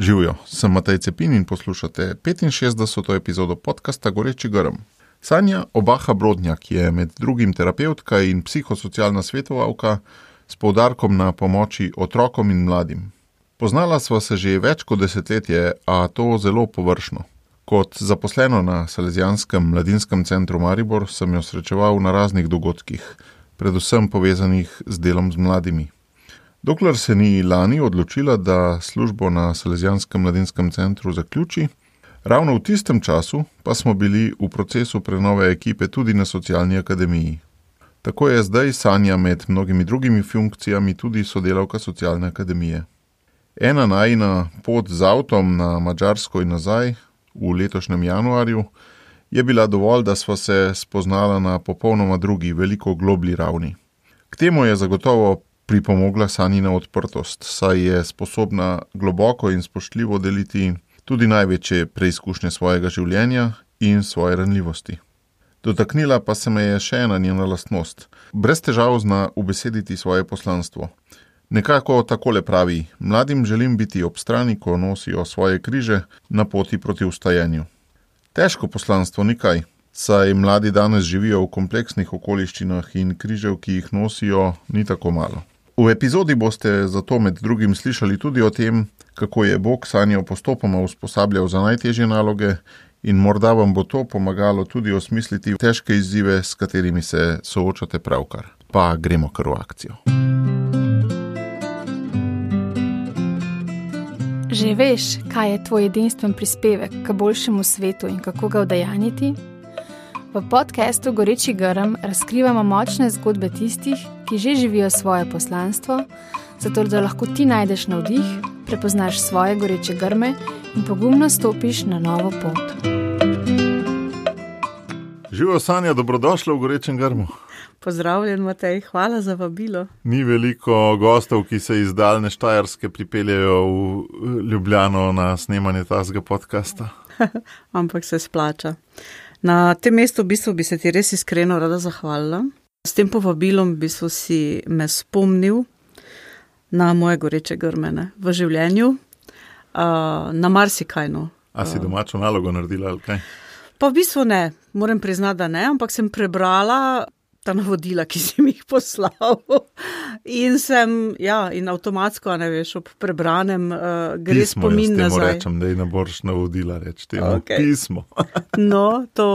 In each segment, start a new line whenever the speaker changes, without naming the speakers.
Živjo, sem Matej Cepin in poslušate 65. epizodo podcasta Goreči grm. Sanja Obaha Brodnjak je med drugim terapevtka in psihosocialna svetovalka s poudarkom na pomoči otrokom in mladim. Poznala sva se že več kot desetletje, a to zelo površno. Kot zaposleno na Salezijanskem mladinskem centru Maribor sem jo srečeval na raznih dogodkih, predvsem povezanih z delom z mladimi. Dokler se ni lani odločila, da službo na Salezijanskem mladinskem centru zaključi, ravno v tistem času pa smo bili v procesu prenove ekipe tudi na Socialni akademiji. Tako je zdaj Sanja med mnogimi drugimi funkcijami tudi sodelavka Socialne akademije. Ena najina pot z avtom na Madžarsko in nazaj v letošnjem januarju je bila dovolj, da sva se spoznala na popolnoma drugi, veliko globlji ravni. K temu je zagotovo pripomogla Sanjina odprtost, saj je sposobna globoko in spoštljivo deliti tudi največje preizkušnje svojega življenja in svoje ranljivosti. Dotaknila pa se me je še ena njena lastnost. Brez težav zna ubesediti svoje poslanstvo. Nekako takole pravi: mladim želim biti ob strani, ko nosijo svoje križe na poti proti vstajenju. Težko poslanstvo ni kaj, saj mladi danes živijo v kompleksnih okoliščinah in križev, ki jih nosijo, ni tako malo. V epizodi boste zato med drugim slišali tudi o tem, kako je Bog Sanjo postopoma usposabljal za najtežje naloge in morda vam bo to pomagalo tudi osmisliti težke izzive, s katerimi se soočate pravkar. Pa gremo kar v akcijo.
Že veš, kaj je tvoj edinstven prispevek k boljšemu svetu in kako ga udejanjiti? V podcastu Goreči grm razkrivamo močne zgodbe tistih, ki že živijo svoje poslanstvo, zato da lahko ti najdeš navdih, prepoznaš svoje goreče grme in pogumno stopiš na novo pot.
Živjo, Sanja, dobrodošla v Gorečem grmu.
Pozdravljen, Matej, hvala za vabilo.
Ni veliko gostov, ki se iz daljne Štajerske pripeljejo v Ljubljano na snemanje tazga podcasta.
Ampak se splača. Na tem mestu v bistvu bi se ti res iskreno rada zahvalila. S tem povabilom v bistvu si me spomnil na moje goreče grmene v življenju, na marsikajno.
A si domačo nalogo naredila ali kaj?
Pa v bistvu ne, moram priznati, da ne, ampak sem prebrala ta navodila, ki si mi jih poslal. In sem, in avtomatsko, ne veš, ob prebranem gre spomin nazaj.
Pismo, jaz temu rečem, da ne boš navodila reči, temu pismo.
No, to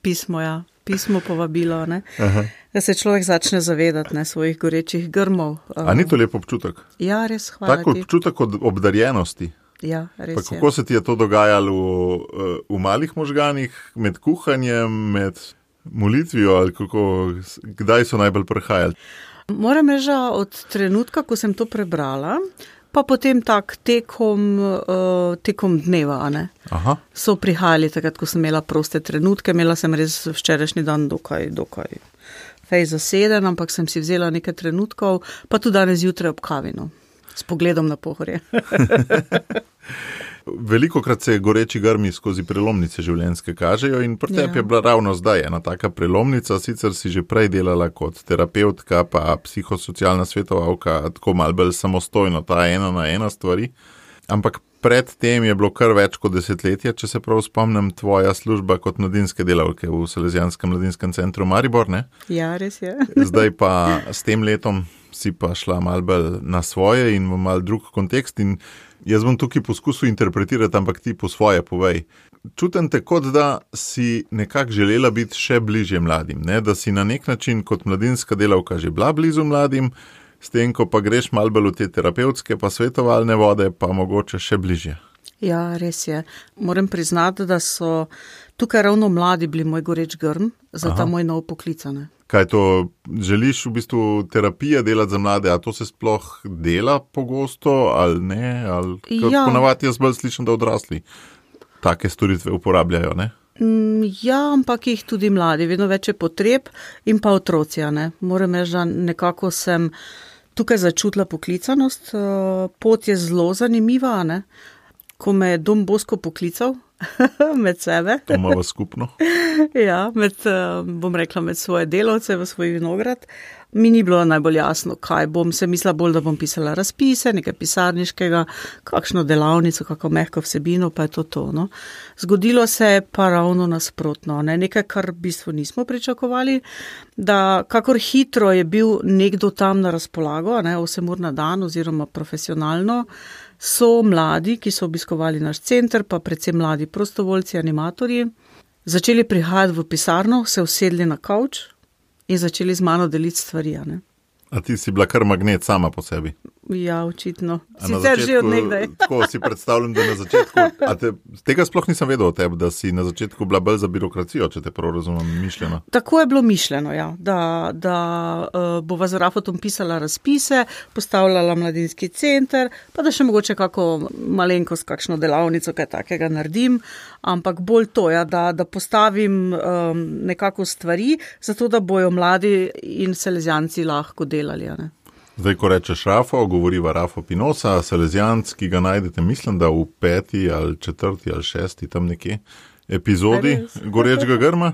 pismo, pismo povabilo, ne. Aha. Da se človek začne zavedati svojih gorečih grmov.
A ni to lep občutek?
Ja, res, hvala ti.
Tak občutek od obdarjenosti.
Ja, res
pa kako se ti je to dogajalo v malih možganih, med kuhanjem, med molitvijo ali kako, kdaj so najbolj prihajali?
Moram reči, od trenutka, ko sem to prebrala, pa potem tak tekom dneva, ne. Aha. So prihajali takrat, ko sem imela proste trenutke, imela sem res včerajšnji dan dokaj fej zaseden, ampak sem si vzela nekaj trenutkov, pa tudi danes zjutraj ob kavinu, s pogledom na Pohorje.
Velikokrat se goreči grmi skozi prelomnice življenjske kažejo in pri tebi je bila ravno zdaj ena taka prelomnica, sicer si že prej delala kot terapevtka pa psihosocialna svetovalka, tako malo bolj samostojno, ta ena na ena stvari, ampak pred tem je bilo kar več kot desetletje, če se prav spomnim, tvoja služba kot mladinske delavke v Salezijanskem mladinskem centru Maribor, ne?
Ja, res je.
Zdaj pa s tem letom si pa šla malo bolj na svoje in v malo drug kontekst in jaz bom tukaj poskusil interpretirati, ampak ti po svoje povej. Čutim te, kot da si nekako želela biti še bližje mladim, ne? Da si na nek način kot mladinska delavka že bila blizu mladim, s tem, ko pa greš malo bolj v te terapevtske pa svetovalne vode, pa mogoče še bližje.
Ja, res je. Moram priznati, da so tukaj ravno mladi bili moj goreč grm za ta moj nov poklic.
Kaj to, želiš v bistvu terapije delati za mlade, a to se sploh dela pogosto ali ne? Ali ponavadi jaz bolj slišim, da odrasli take storitve uporabljajo, ne?
Ja, ampak jih tudi mladi, vedno več je potreb in pa otroci, ne. Moram reči, da nekako sem tukaj začutila poklicanost, pot je zelo zanimiva, ne. Ko me je Dom Bosko poklical med sebe.
To imamo skupno.
Ja, med svoje delavce v svoj vinograd. mi ni bilo najbolj jasno, kaj bom. Se mislila bolj, da bom pisala razpise, nekaj pisarniškega, kakšno delavnico, kako mehko vsebino, pa je to, no. Zgodilo se je pa ravno nasprotno, ne. Nekaj, kar v bistvu nismo pričakovali, da kakor hitro je bil nekdo tam na razpolago, ne, 8 ur na dan oziroma profesionalno, so mladi, ki so obiskovali naš center, pa predvsem mladi prostovoljci, animatorji, začeli prihajati v pisarno, se usedli na kavč in začeli z mano deliti stvari, ne.
A ti si bila kar magnet sama po sebi?
Ja, očitno. Sicer že od nekdaj.
Tako si predstavljam, da na začetku, tega sploh nisem vedel o tebi, da si na začetku bila bolj za birokracijo, če te prav razumem, mišljeno.
Tako je bilo mišljeno, ja, da bova z Rafotom pisala razpise, postavljala mladinski center, pa da še mogoče kako malenkost, kakšno delavnico, kaj takega naredim, ampak bolj to, ja, da postavim nekako stvari, zato da bojo mladi in salezijanci lahko delali, ne.
Zdaj, ko rečeš Rafo, govoriva Rafo Pinosa, salezijanc, ki ga najdete, mislim, da v 5. ali 4. ali 6. tam nekje epizodi Gorečega grma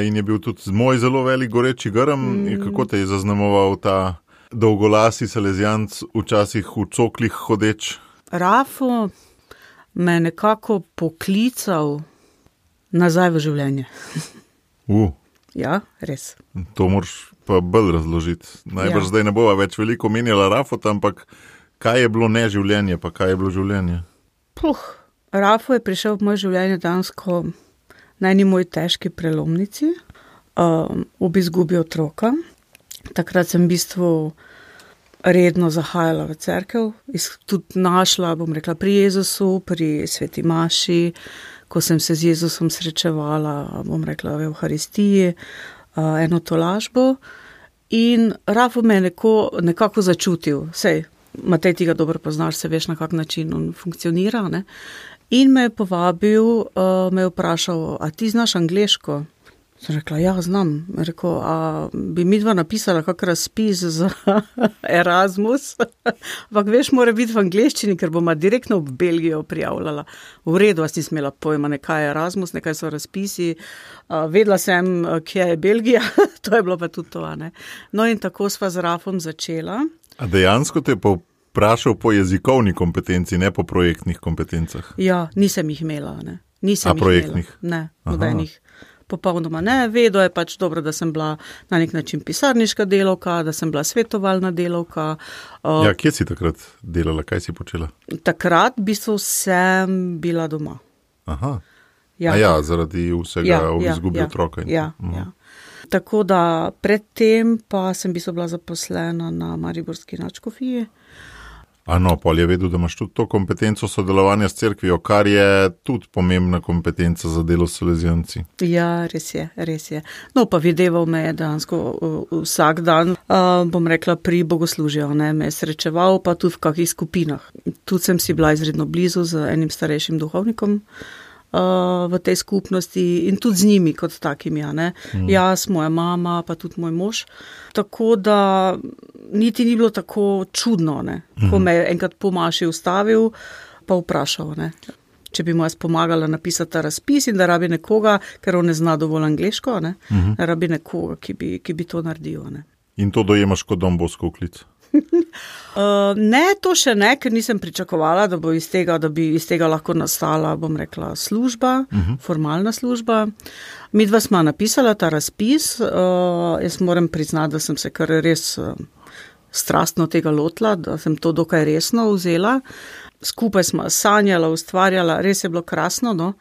in je bil tudi moj zelo velik Goreči grm. Kako te je zaznamoval ta dolgolasi salezijanc, včasih v coklih hodeč?
Rafo me nekako poklical nazaj v življenje. Ja, res.
To moraš pa bolj razložiti. Najbrž zdaj ne bova več veliko menjala Rafota, ampak kaj je bilo neživljenje, pa kaj je bilo življenje?
Rafo je prišel v moje življenje dansko na eni moji težki prelomnici, ob izgubi otroka. Takrat sem v bistvu redno zahajala v cerkev, tudi našla, bom rekla, pri Jezusu, pri sveti maši, ko sem se z Jezusom srečevala, bom rekla, v Evharistiji, eno tolažbo in Rafo me je nekako začutil. Sej, Matej, ti ga dobro poznaš, se veš, na kak način on funkcionira, ne? In me je povabil, me je vprašal, a ti znaš angleško? Sem rekla, ja, znam. Rekel, a bi midva napisala kak razpis za Erasmus? Ampak veš, mora biti v angleščini, ker boma direktno v Belgijo prijavljala. V redu, vas nisem imela pojma, nekaj je Erasmus, nekaj so razpisi. Vedela sem, kje je Belgija, to je bilo pa tudi to, ne. No in tako sva z Rafom začela.
A dejansko te je povprašal po jezikovni kompetenci, ne po projektnih kompetencah?
Ja, nisem jih imela, ne.
A projektnih?
Ne, nobenih. Popolnoma ne, vedo je pač dobro, da sem bila na nek način pisarniška delavka, da sem bila svetovalna delavka.
Ja, kje si takrat delala, kaj si počela?
Takrat v bistvu sem bila doma.
Aha, ja, zaradi vsega izgubi otroka.
Ja. Tako da predtem pa sem v bistvu bila zaposlena na Mariborski nadškofiji.
No, pol je vedel, da imaš tudi to kompetenco sodelovanja s cerkvijo, kar je tudi pomembna kompetenca za delo s salezijanci.
Ja, res je. No, pa videval me je dejansko vsak dan, bom rekla, pri bogoslužju, ne, me je srečeval, pa tudi v kakih skupinah. Tudi sem si bila izredno blizu z enim starejšim duhovnikom v tej skupnosti in tudi z njimi kot takimi, ne. Jaz, moja mama, pa tudi moj mož. Tako da niti ni bilo tako čudno, ne. Ko me je enkrat po maši ustavil, pa vprašal, ne, če bi mu jaz pomagala napisati ta razpis in da rabi nekoga, ker on ne zna dovolj angleško, ne, da rabi nekoga, ki bi to naredil, ne.
In to dojemaš kot Don Bosco klic?
Ne, to še ne, ker nisem pričakovala, da bi iz tega lahko nastala, bom rekla, služba, formalna služba. Midva sva napisala ta razpis, jaz moram priznati, da sem se kar res strastno tega lotila, da sem to dokaj resno vzela. Skupaj sva sanjala, ustvarjala, res je bilo krasno, no.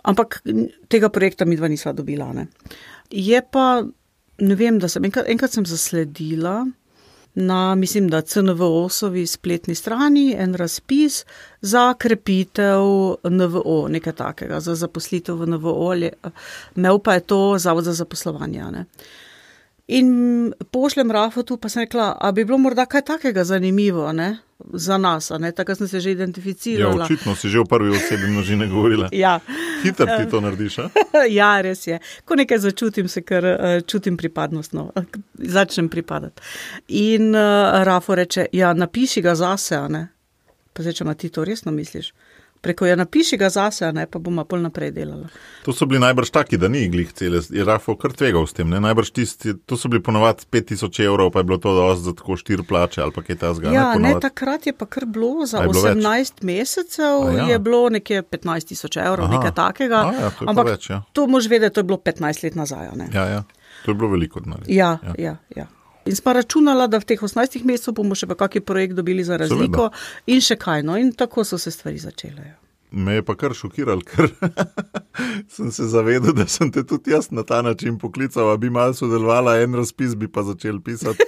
Ampak tega projekta midva nisva dobila, ne. Je pa, ne vem, da sem enkrat sem zasledila na, mislim, da CNVO-sovi spletni strani en razpis za krepitev NVO, nekaj takega, za zaposlitev v NVO, imel pa je to Zavod za zaposlovanje, ne. In pošljem Rafotu, pa sem rekla, a bi bilo morda kaj takega zanimivo, ne, za nas, ne, tako sem se že identificirala.
Ja, očitno si že v prvi osebi množine govorila.
Ja.
Hitro ti to narediš, a?
Ja, res je. Ko nekaj začutim, se kar čutim pripadnost, no, začnem pripadati. In Rafo reče, ja, napiši ga zase, a ne. Pa zdaj, če ma ti to resno misliš? Preko napiši ga zase, ne, pa bomo pol naprej delala.
To so bili najbrž taki, da ni glih cele, je Rafo kar tvegal s tem, ne? Najbrž tisti, to so bili ponovadi 5000 €, pa je bilo to dosti za tako 4 plače ali pa kaj tazga.
Ja, ne, takrat je pa kar bilo, za 18 mesecev je bilo nekje 15 000 €, nekaj takega.
To je
ampak
več, ja.
To moš vedeti, to je bilo 15 let nazaj, ne.
Ja, to je bilo veliko denarja.
Ja. In smo računala, da v teh 18 mesecev bomo še pa kakšen projekt dobili za razliko in še kaj, no, in tako so se stvari začele. Ja.
Me je pa kar šokiral, ker sem se zavedel, da sem te tudi jaz na ta način poklical, a bi malo sodelovala, en razpis bi pa začel pisati.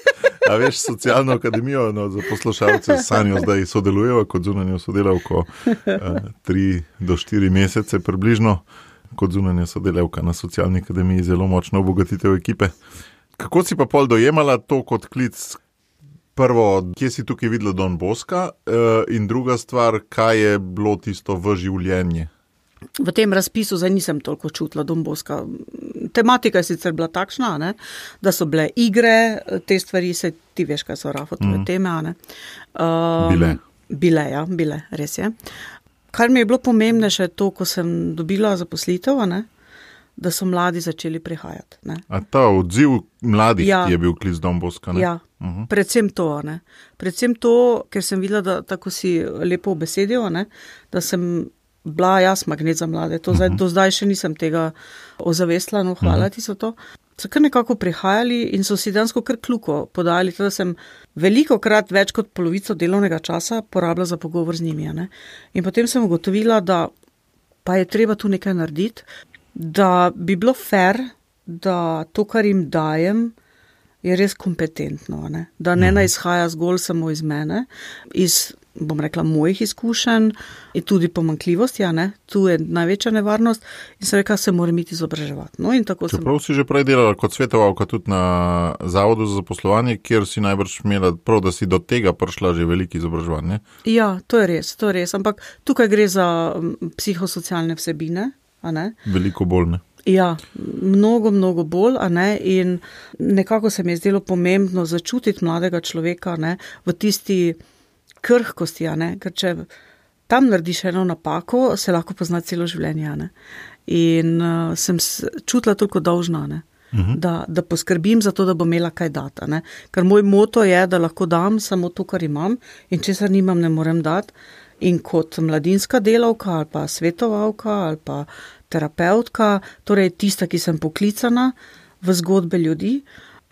A veš, socialno akademijo, no, za poslušalce s Sanjo zdaj sodelujeva kot zunanjo sodelavko 3 do 4 mesece približno, kot zunanja sodelavka na socialni akademiji, zelo močno obogatitev ekipe. Kako si pa pol dojemala to kot klic? Prvo, kje si tukaj videla Don Bosca in druga stvar, kaj je bilo tisto v življenje?
V tem razpisu zdaj nisem toliko čutila Don Bosca. Tematika je sicer bila takšna, ne, da so bile igre, te stvari, se ti veš, kaj so Rafo tvoje teme, ne. Bile, res je. Kar mi je bilo pomembnejše to, ko sem dobila zaposlitev, ne, da so mladi začeli prihajati. Ne.
A ta odziv mladih je bil klic Don Bosca, ne?
Ja, predvsem to, ne. Predvsem to, ker sem videla, da tako si lepo obesedil, ne, da sem bila jaz magnet za mlade. To do zdaj še nisem tega ozavestila, no hvala ti so to. So kar nekako prihajali in so si dansko kar kljuko podali, da sem veliko krat več kot polovico delovnega časa porabila za pogovor z njimi. Ne. In potem sem ugotovila, da pa je treba tu nekaj narediti, da bi bilo fair, da to, kar jim dajem, je res kompetentno, ne. Da ne izhaja zgolj samo iz mene, iz, bom rekla, mojih izkušenj in tudi pomanjkljivosti, ne. Tu je največja nevarnost in sem rekla, se moram iti izobraževati. No, in tako
čeprav si že prej delala kot svetovalka tudi na Zavodu za zaposlovanje, kjer si najbrž imela prav, da si do tega prišla že veliki izobraževanje.
Ja, to je res, ampak tukaj gre za psihosocialne vsebine, a ne.
Veliko bolj, ne.
Ja, mnogo bolj, a ne, in nekako se mi je zdelo pomembno začutiti mladega človeka, ne, v tisti krhkosti, a ne, ker če tam narediš eno napako, se lahko pozna celo življenje, a ne. In sem čutila toliko dolžna, ne, da poskrbim za to, da bom imela kaj dati, ne. Ker moj moto je, da lahko dam samo to, kar imam in česar nimam, ne morem dati. In kot mladinska delavka ali pa svetovalka ali pa terapeutka, torej tista, ki sem poklicana v zgodbe ljudi,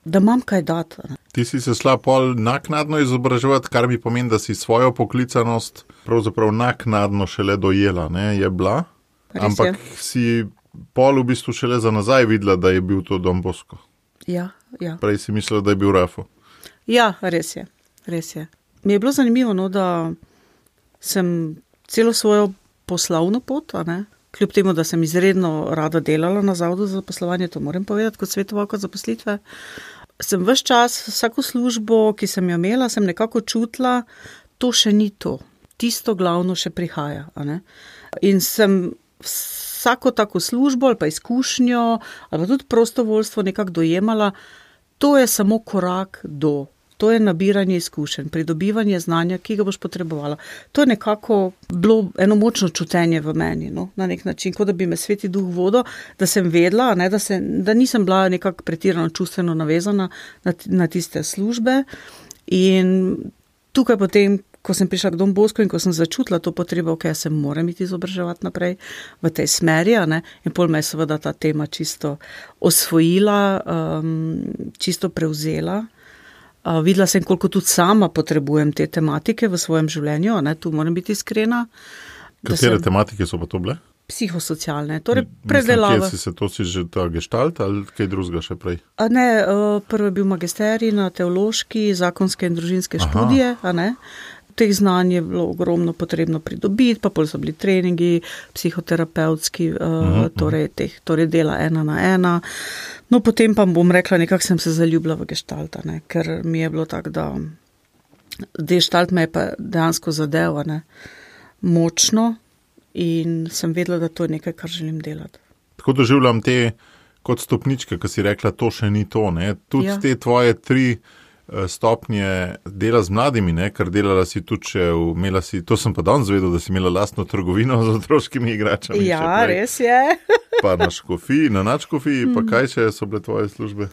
da imam kaj dati.
Ti si se šla pol naknadno izobraževati, kar mi pomeni, da si svojo poklicanost pravzaprav naknadno šele dojela, ne, je bila, ampak si pol v bistvu šele za nazaj videla, da je bil to Don Bosco.
Ja.
Prej si mislila, da je bil Rafo.
Ja, res je. Mi je bilo zanimivo, no, da sem celo svojo poslovno pot, a ne, kljub temu, da sem izredno rada delala na Zavodu za zaposlovanje, to moram povedati, kot svetovalka zaposlitve, sem ves čas, vsako službo, ki sem jo imela, sem nekako čutila, to še ni to. Tisto glavno še prihaja, a ne. In sem vsako tako službo ali pa izkušnjo ali pa tudi prostovoljstvo nekako dojemala, to je samo korak do. To je nabiranje izkušenj, pridobivanje znanja, ki ga boš potrebovala. To je nekako bilo eno močno čutenje v meni, no, na nek način, kot da bi me Sveti Duh vodil, da sem vedela, ne, da nisem bila nekako pretirano čustveno navezana na tiste službe. In tukaj potem, ko sem prišla k Don Boscu in ko sem začutila to potrebo, ok, se moram iti izobraževati naprej v tej smeri, ne, in pol me je seveda ta tema čisto osvojila, čisto prevzela. Videla sem, koliko tudi sama potrebujem te tematike v svojem življenju, ne, tu moram biti iskrena.
Katere tematike so pa to bile?
Psihosocialne, torej predelava.
Mislim, to si že ta gestalt ali kaj drugega še prej?
Ne, prvo je bil magisterij na teološki, zakonske in družinske študije, a ne. Teh znanj je bilo ogromno potrebno pridobiti, pa pol so bili treningi, psihoterapevtski, torej dela 1 na 1. No, potem pa bom rekla, nekako sem se zaljubila v gestalt, ne, ker mi je bilo tako, da gestalt me je pa dejansko zadev, ne, močno in sem vedela, da to je nekaj, kar želim delati.
Tako doživljam te kot stopničke, ko si rekla, to še ni to, ne, tudi te tvoje 3 stopnje dela z mladimi, ne? Ker delala si tudi to sem pa danes zvedel, da si imela lastno trgovino z otroškimi igračami.
Ja, res je.
Pa na nadškofiji, pa kaj še so bile tvoje službe?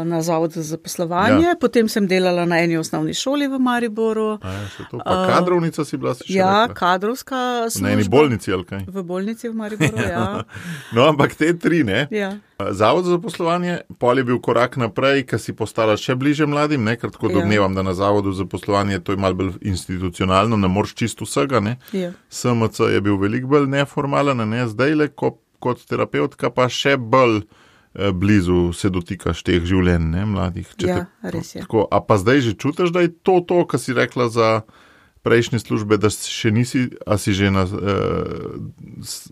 Na Zavodu za zaposlovanje, potem sem delala na eni osnovni šoli v Mariboru.
Pa kadrovnica si bila?
Kadrovska služba.
Na eni bolnici ali kaj?
V bolnici v Mariboru, ja.
No, ampak te 3, ne?
Ja.
Zavod za zaposlovanje, pol je bil korak naprej, ker si postala še bliže mladim, ne? Ker tako domnevam, da na Zavodu za zaposlovanje to je malo bolj institucionalno, ne moreš čisto vsega, ne?
Ja.
SMC je bil veliko bolj neformalen, ne? Zdajle kot terapeutka pa še bolj blizu se dotikaš teh življenj, ne, mladih.
Res je.
Tako, a pa zdaj že čutiš, da je to, kar si rekla za prejšnje službe, da še nisi, a si že na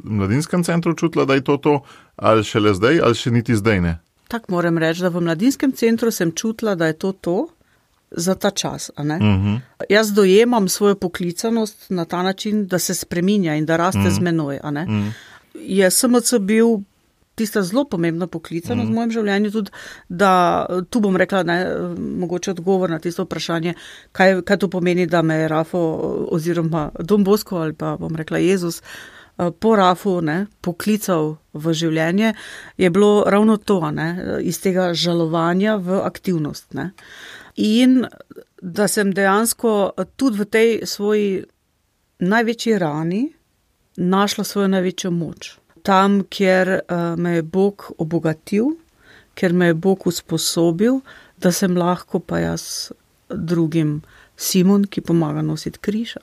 mladinskem centru čutila, da je to, ali šele zdaj, ali še niti zdaj ne?
Tak moram reči, da v mladinskem centru sem čutila, da je to za ta čas, a ne? Jaz dojemam svojo poklicanost na ta način, da se spreminja in da raste z menoj, a ne? Je SMC bil tista zelo pomembna poklicanost v mojem življenju, tudi, da tu bom rekla, ne, mogoče odgovor na tisto vprašanje, kaj to pomeni, da me je Rafo oziroma Don Bosco ali pa bom rekla Jezus po Rafu, ne, poklical v življenje, je bilo ravno to, ne, iz tega žalovanja v aktivnost, ne. In da sem dejansko tudi v tej svoji največji rani našla svojo največjo moč. Tam, kjer me je Bog obogatil, kjer me je Bog usposobil, da sem lahko pa jaz drugim Simon, ki pomaga nositi križ.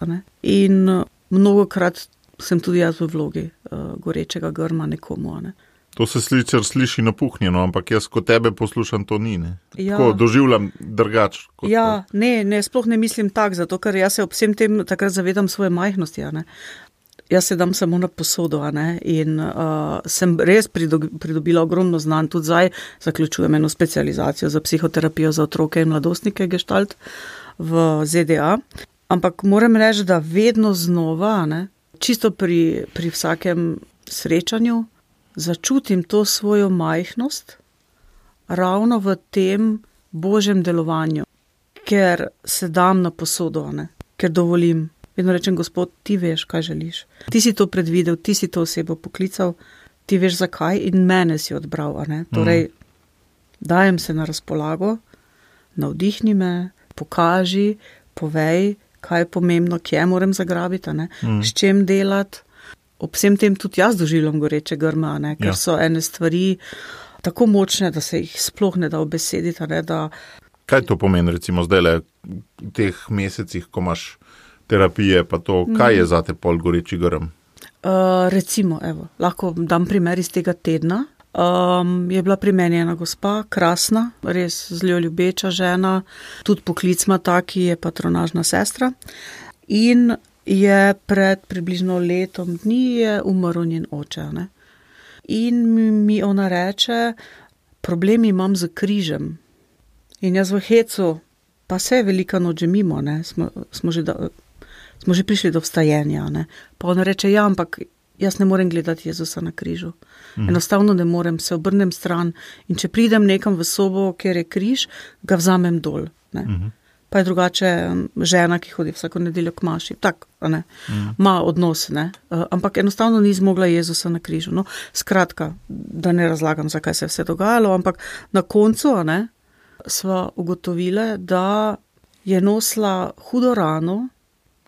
In mnogokrat sem tudi jaz v vlogi gorečega grma nekomu. Ne.
To se sliši napuhnjeno, ampak jaz, ko tebe poslušam, to ni. Ne?
Ja.
Tako doživljam drugače.
Ja, ne, sploh ne mislim tak, zato ker jaz se ob vsem tem takrat zavedam svoje majhnosti. Ne. Jaz se dam samo na posodo, ne, in sem res pridobila ogromno znanj, tudi zdaj zaključujem eno specializacijo za psihoterapijo za otroke in mladostnike Gestalt v ZDA. Ampak moram reči, da vedno znova, ne, čisto pri vsakem srečanju, začutim to svojo majhnost ravno v tem Božjem delovanju, ker se dam na posodo, ne, ker dovolim. Vedno rečem, Gospod, ti veš, kaj želiš. Ti si to predvidel, ti si to osebo poklical, ti veš zakaj in mene si odbral. Torej, dajem se na razpolago, navdihni me, pokaži, povej, kaj je pomembno, kje moram zagrabiti, s čem delati. Ob vsem tem tudi jaz doživljam goreče grme, ker so ene stvari tako močne, da se jih sploh ne da obesediti.
Kaj to pomeni, recimo, zdaj v teh mesecih, ko imaš terapije, pa to, kaj je zate pol goreči grm?
Recimo, lahko dam primer iz tega tedna. Je bila pri meni ena gospa, krasna, res zelo ljubeča žena, tudi poklic ima taki, je patronažna sestra. In je pred približno letom dni je umrl njen oče. Ne? In mi ona reče, problem imam z križem. In jaz v hecu, pa se je velika noč že mimo, ne? Smo že prišli do vstajenja, ne. Pa ona reče, ja, ampak jaz ne morem gledati Jezusa na križu. Enostavno ne morem, se obrnem stran in če pridem nekam v sobo, kjer je križ, ga vzamem dol, ne. Pa je drugače žena, ki hodi vsako nedeljo k maši, tak, ne, ima odnos, ne. Ampak enostavno ni zmogla Jezusa na križu. No, skratka, da ne razlagam, zakaj se je vse dogajalo, ampak na koncu, ne, sva ugotovile, da je nosila hudo rano,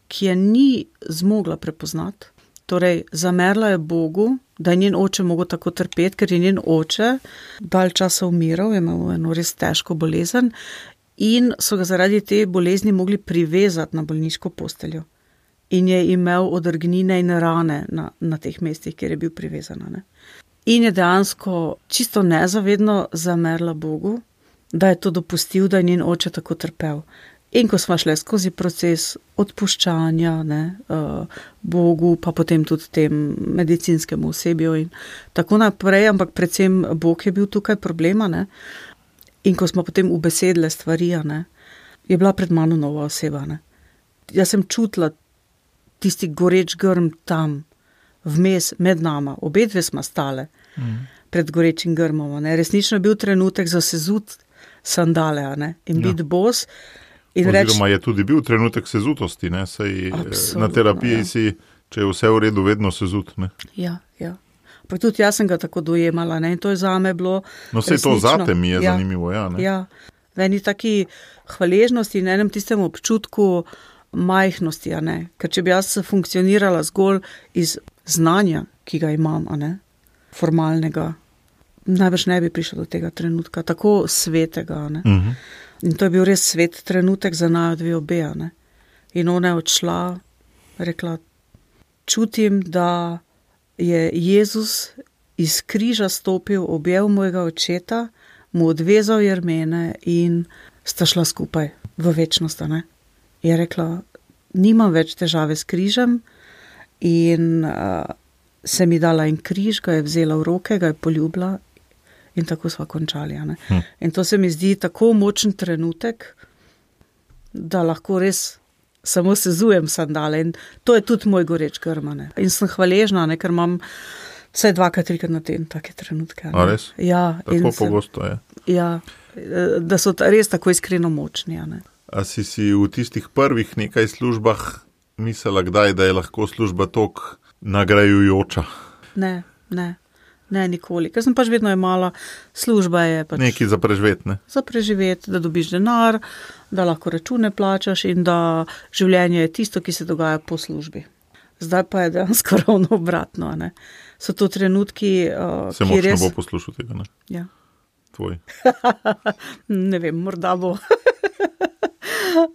ki je ni zmogla prepoznati. Torej, zamerila je Bogu, da je njen oče mogel tako trpeti, ker je njen oče dalj časa umiral, je imel eno res težko bolezen in so ga zaradi te bolezni mogli privezati na bolniško posteljo. In je imel odrgnine in rane na teh mestih, kjer je bil privezan. Ne? In je dejansko čisto nezavedno zamerila Bogu, da je to dopustil, da je njen oče tako trpel. In ko smo šli skozi proces odpuščanja, Bogu, pa potem tudi tem medicinskemu osebju in tako naprej, ampak predvsem Bog je bil tukaj problema, ne. In ko smo potem ubesedile stvari, je bila pred mano nova oseba, ne. Jaz sem čutila tisti goreč grm tam, vmes med nama, obedve smo stale pred gorečim grmom, ne. Resnično je bil trenutek za sezut sandale, ne? In biti bos.
Oziroma je tudi bil trenutek sezutosti, ne? Saj na terapiji si, če je vse v redu, vedno sezut, ne?
Ja. Pa tudi jaz sem ga tako dojemala, ne? In to je zame bilo
no, saj to zate mi je zanimivo, ne?
Ja, v eni taki hvaležnosti in enem tistem občutku majhnosti, ne? Ker če bi jaz funkcionirala zgolj iz znanja, ki ga imam, ne? Formalnega, najbrž ne bi prišla do tega trenutka, tako svetega, ne? In to je bil res svet trenutek za naju dve obe, ne? In ona je odšla, rekla, čutim, da je Jezus iz križa stopil, objel mojega očeta, mu odvezal jermene in sta šla skupaj v večnost, ne? Je rekla, nimam več težave s križem in se mi dala en križ, ga je vzela v roke, ga je poljubila in tako sva končali, ne? In to se mi zdi tako močen trenutek, da lahko res samo sezujem sandale in to je tudi moj goreč grm, ne? In sem hvaležna, ne? Ker imam vsaj 2-3 na teden take trenutke.
A res?
Ja.
Tako pogosto je.
Ja, da so res tako iskreno močni, ne?
A si v tistih prvih nekaj službah mislila kdaj, da je lahko služba toliko nagrajujoča?
Ne, nikoli. Ker sem pač vedno imala, služba je pač
nekaj za preživeti, ne? Za
preživeti, da dobiš denar, da lahko račune plačaš in da življenje je tisto, ki se dogaja po službi. Zdaj pa je dejansko ravno obratno, ne? So to trenutki,
se močno res bo poslušal tega, ne?
Ja.
Tvoj.
Ne vem, morda bo.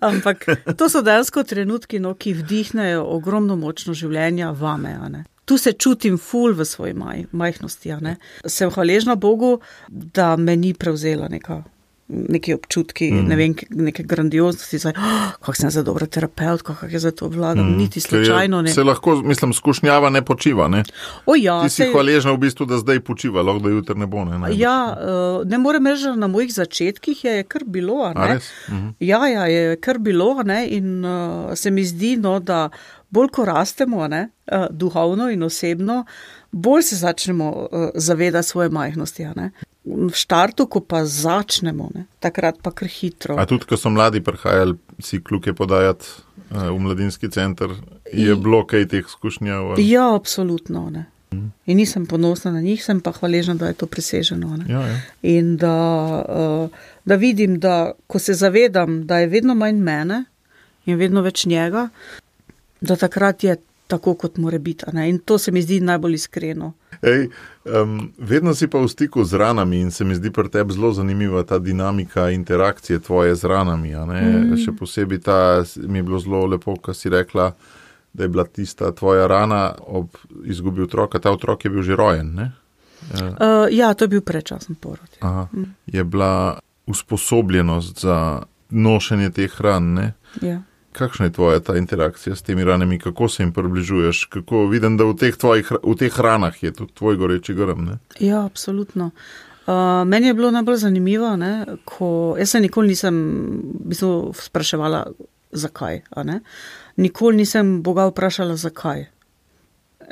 Ampak to so dejansko trenutki, no, ki vdihnejo ogromno močno življenja vame, ne? Tu se čutim ful v svoji majhnosti, ne? Sem hvaležna Bogu, da me ni prevzela neki občutki, ne vem, neke grandioznosti, kako sem za dobra terapeutka, kako je za to vladam, niti slučajno ne.
Se lahko, mislim, skušnjava ne počiva, ne?
O ja.
Ti si hvaležna v bistvu, da zdaj počiva, lahko da jutri ne bo, ne?
Ja, ne morem reči, na mojih začetkih je kar bilo, ne?
A res?
Ja, je kar bilo, ne? In se mi zdi, no, da bolj ko rastemo, ne, duhovno in osebno, bolj se začnemo zavedati svoje majhnosti, ne. V štartu, ko pa začnemo, ne, takrat pa kar hitro.
A tudi, ko so mladi prihajali si kljuke podajati v mladinski center, je bilo kaj teh skušnjav?
Ja, absolutno, ne. In nisem ponosna na njih, sem pa hvaležna, da je to preseženo, ne.
Ja.
In da vidim, da ko se zavedam, da je vedno manj mene in vedno več njega, da takrat je tako, kot mora biti, ne? In to se mi zdi najbolj iskreno.
Vedno si pa v stiku z ranami in se mi zdi pri tebi zelo zanimiva ta dinamika interakcije tvoje z ranami, a ne? Še posebej mi je bilo zelo lepo, ko si rekla, da je bila tista tvoja rana ob izgubi otroka, ta otrok je bil že rojen, ne?
Ja, to je bil predčasen porod.
Aha. Je bila usposobljenost za nošenje teh ran, ne?
Ja.
Kakšna je tvoja ta interakcija s temi ranami, kako se jim približuješ, kako vidim, da v teh ranah je tudi tvoj goreči grm, ne?
Ja, absolutno. Meni je bilo najbolj zanimivo, ne, jaz se nikoli nisem spraševala, zakaj, a ne? Nikoli nisem Boga vprašala, zakaj.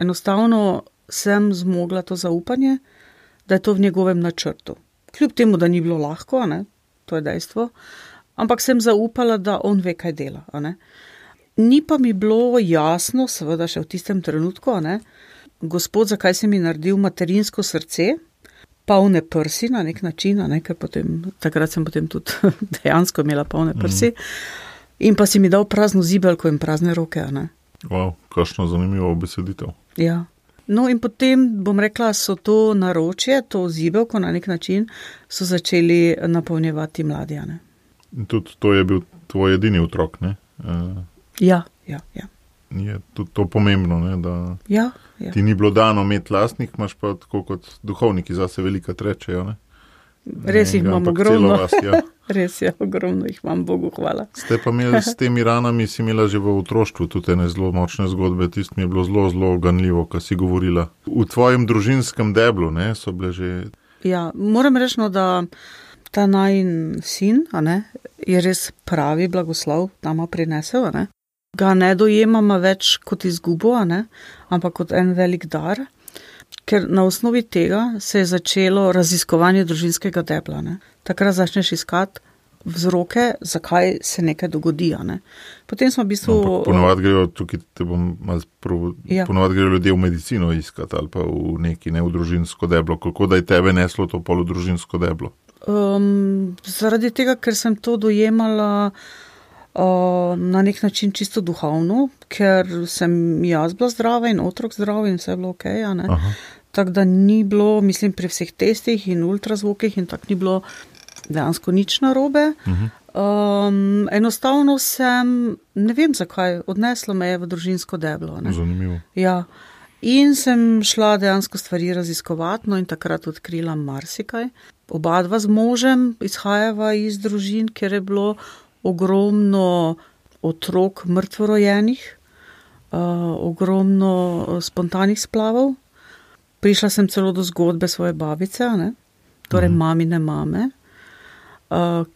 Enostavno sem zmogla to zaupanje, da je to v njegovem načrtu. Kljub temu, da ni bilo lahko, ne, to je dejstvo, ampak sem zaupala, da on ve, kaj dela, a ne. Ni pa mi bilo jasno, seveda še v tistem trenutku, a ne, Gospod, zakaj si mi naredil materinsko srce, polne prsi na nek način, a ne, ker takrat sem potem tudi dejansko imela polne prsi, in pa si mi dal prazno zibelko in prazne roke, a ne.
Wow, kakšno zanimivo beseditev.
Ja. No in potem, bom rekla, so to naročje, to zibelko na nek način, so začeli napolnjevati mladi, a ne.
In tudi to je bil tvoj edini otrok, ne?
Ja.
Je tudi to pomembno, ne? Da ti ni bilo dano imeti lastnih, imaš pa tako kot duhovniki zase velika trečejo, ne?
Res jih imam ogromno.
Vas, ja.
Res je, ogromno jih imam, Bogu hvala.
Ste pa imeli s temi ranami, si imela že v otroštvu tudi ene zelo močne zgodbe, tist mi je bilo zelo, zelo ganljivo, ko si govorila. V tvojem družinskem deblu, ne, so bile že... Ja,
moram reči, da ta najin sin, a ne, je res pravi blagoslov nama prinesel, a ne. Ga ne dojemamo več kot izgubo, a ne, ampak kot en velik dar, ker na osnovi tega se je začelo raziskovanje družinskega debla, ne. takrat začneš iskati vzroke, zakaj se nekaj dogodi. Ne? Potem smo v bistvu...
Ponovadi grejo tukaj, ponovadi grejo ljudje v medicino iskati ali pa v neki v družinsko deblo. Kako da je tebe neslo to polo družinsko deblo?
Zaradi tega, ker sem to dojemala na nek način čisto duhovno, ker sem jaz bila zdrava in otrok zdrav in vse je bilo okej, ne? Tako da ni bilo, mislim, pri vseh testih in ultrazvokih in tako ni bilo dejansko nič narobe. Enostavno sem, ne vem zakaj, odneslo me je v družinsko deblo. Ne?
Zanimivo.
Ja. In sem šla dejansko stvari raziskovati, no in takrat odkrila marsikaj. Oba dva z možem izhajava iz družin, kjer je bilo ogromno otrok mrtvorojenih, ogromno spontanih splavov. Prišla sem celo do zgodbe svoje babice, ne? Torej mamine mame,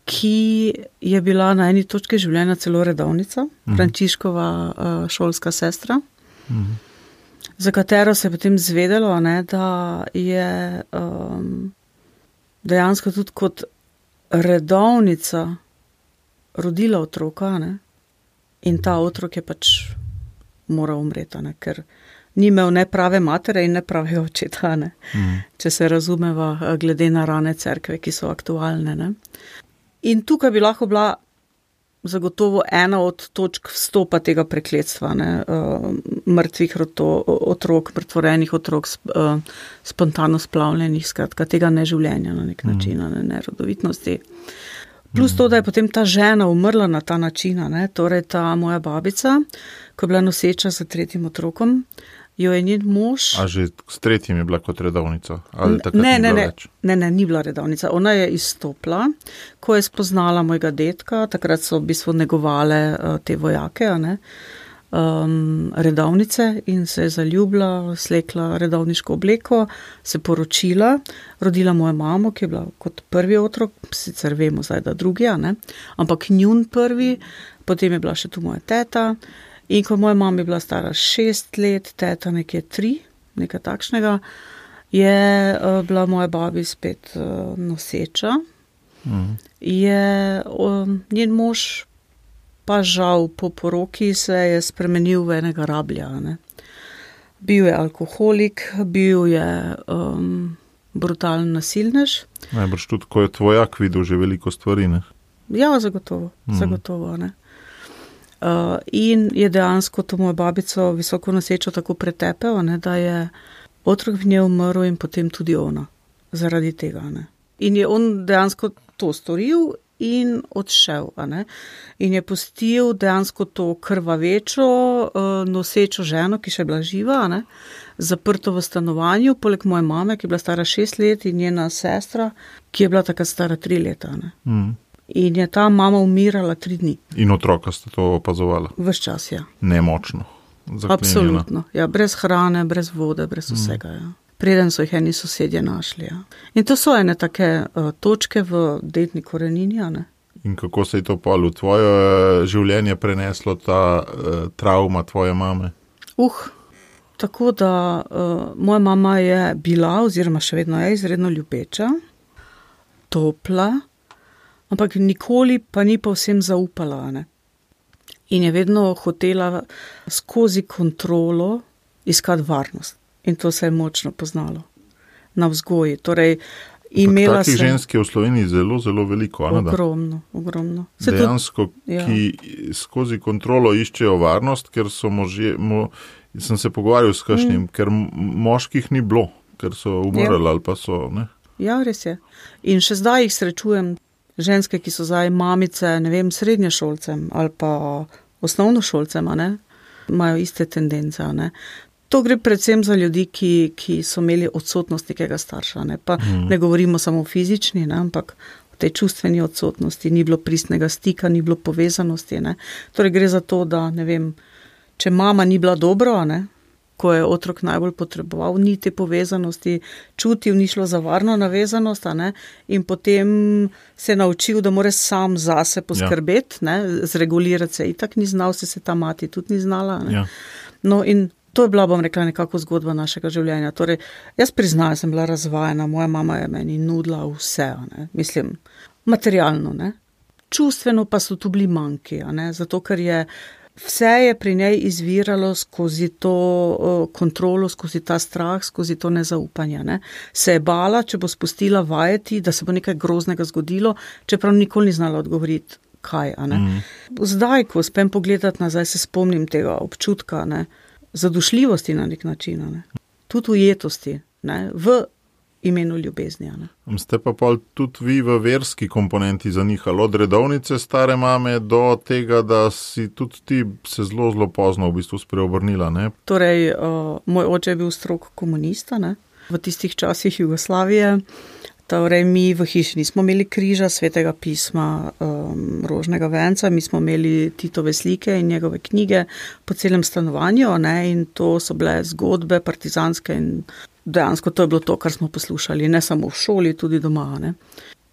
ki je bila na eni točki življenja celo redovnica, Frančiškova šolska sestra, za katero se je potem zvedelo, ne, da je dejansko tudi kot redovnica rodila otroka, ne, in ta otrok je pač moral umreti, ne, ker ni imel ne prave matere in ne prave očeta, ne, če se razumeva glede na rane cerkve, ki so aktualne. Ne. In tukaj bi lahko bila zagotovo ena od točk vstopa tega prekletstva, ne, mrtvih otrok, mrtvorenih otrok, spontano splavljenih, skratka, tega neživljenja na nek način, nerodovitnosti. Plus to, da je potem ta žena umrla na ta način, ne, torej ta moja babica, ko je bila noseča za 3. otrokom, jo je njen mož...
A že s 3. je bila kot redovnica? Ali takrat ni bila več?
Ne, ni bila redovnica. Ona je izstopila, ko je spoznala mojega dedka, takrat so v bistvu negovale te vojake, ne, redovnice in se je zaljubila, slekla redovniško obleko, se poročila, rodila mojo mamo, ki je bila kot prvi otrok, sicer vemo zdaj, da drugi, ne, ampak njun prvi, potem je bila še tu moja teta. In ko moja mama je bila stara 6 let, teta nekje 3, nekaj takšnega, je bila moja babi spet noseča. Je njen mož pa žal po poroki se je spremenil v enega rablja. Ne. Bil je alkoholik, bil je brutalen nasilnež.
Najbrž tudi, ko je tvojak videl že veliko stvari, ne?
Ja, zagotovo, ne. In je dejansko to mojo babico visoko nosečo tako pretepel, ne, da je otrok v njej umrl in potem tudi ona, zaradi tega. Ne. In je on dejansko to storil in odšel. Ne. In je pustil dejansko to krvavečo, nosečo ženo, ki še je bila živa, ne, zaprto v stanovanju, poleg moje mame, ki je bila stara 6 let in njena sestra, ki je bila takrat stara 3 leta. Ne. In je ta mama umirala 3 dni.
In otroka ste to opazovala?
Ves čas, ja.
Nemočno. Zaklenjena.
Absolutno, ja, brez hrane, brez vode, brez vsega, ja. Preden so jih eni sosedje našli, ja. In to so ene take točke v dedni korenini, ne.
In kako se je to v tvoje življenje preneslo, ta travma tvoje mame?
Tako da moja mama je bila, oziroma še vedno je izredno ljubeča, topla, ampak nikoli pa ni povsem zaupala, ne. In je vedno hotela skozi kontrolo iskati varnost. In to se je močno poznalo na vzgoji. Torej, imela sem...
Takih žensk je v Sloveniji zelo, zelo veliko, a ne da?
Ogromno.
Dejansko, ki skozi kontrolo iščejo varnost, ker so sem se pogovarjal s kakšnim, ker moških ni bilo, ker so umrli ali pa so, ne?
Ja, res je. In še zdaj jih srečujem, ženske, ki so zdaj mamice, ne vem, srednješolcem ali pa osnovnošolcem, ne, imajo iste tendence, ne. To gre predvsem za ljudi, ki so imeli odsotnost nekega starša, ne. Pa ne govorimo samo o fizični, ne, ampak o tej čustveni odsotnosti, ni bilo pristnega stika, ni bilo povezanosti, ne. Torej gre za to, da, ne vem, če mama ni bila dobro, ne, ko je otrok najbolj potreboval, ni te povezanosti čutil, ni šlo za varno navezanost, ne, in potem se naučil, da mora sam zase poskrbeti, ne, zregulirati se itak ni znal, se ta mati tudi ni znala. Ne. No in To je bila, bom rekla, nekako zgodba našega življenja. Torej, jaz priznam, sem bila razvajena, moja mama je meni nudila vse, ne? Mislim, materialno, ne? Čustveno pa so tu bili manjki, ne? Zato, ker vse je pri njej izviralo skozi to kontrolo, skozi ta strah, skozi to nezaupanje, ne? Se je bala, če bo spustila vajeti, da se bo nekaj groznega zgodilo, čeprav nikoli ni znala odgovoriti, kaj, a ne? Zdaj, ko uspem pogledati nazaj, se spomnim tega občutka, ne? Zadušljivosti na nek način, ne? Tudi ujetosti, ne? V imenu ljubezni. Ne?
Ste pa tudi vi v verski komponenti zanihali, od redovnice stare mame do tega, da si tudi ti se zelo pozno v bistvu spreobrnila, ne?
Torej, moj oče je bil strog komunista, ne? V tistih časih Jugoslavije. Torej, mi v hiši nismo imeli križa, svetega pisma, rožnega venca, mi smo imeli Titove slike in njegove knjige po celem stanovanju, ne, in to so bile zgodbe partizanske in dejansko to je bilo to, kar smo poslušali, ne samo v šoli, tudi doma, ne.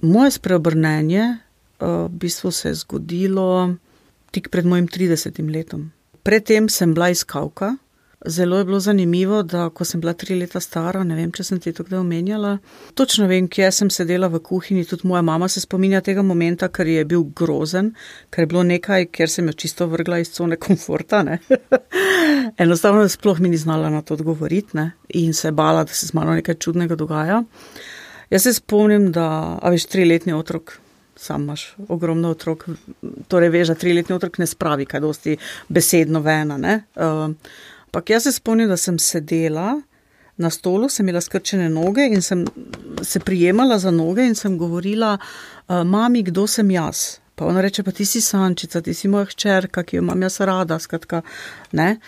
Moje spreobrnenje v bistvu se je zgodilo tik pred mojim 30. letom. Predtem sem bila iskalka. Zelo je bilo zanimivo, da ko sem bila 3 leta stara, ne vem, če sem ti to kdaj omenjala, točno vem, kje sem sedela v kuhinji, tudi moja mama se spominja tega momenta, ker je bil grozen, ker je bilo nekaj, kjer sem jo čisto vrgla iz cone komforta, ne. Enostavno sploh mi ni znala na to odgovoriti, ne, in se bala, da se z mano nekaj čudnega dogaja. Jaz se spomnim, da, 3-letni otrok, sam imaš ogromno otrok, torej veš, da 3-letni otrok ne spravi kaj dosti besedno vena, ne. Ampak jaz se spomnim, da sem sedela na stolu, sem imela skrčene noge in sem se prijemala za noge in sem govorila, mami, kdo sem jaz? Pa ona reče, pa ti si Sančica, ti si moja hčerka, ki jo imam jaz rada, skratka, ne.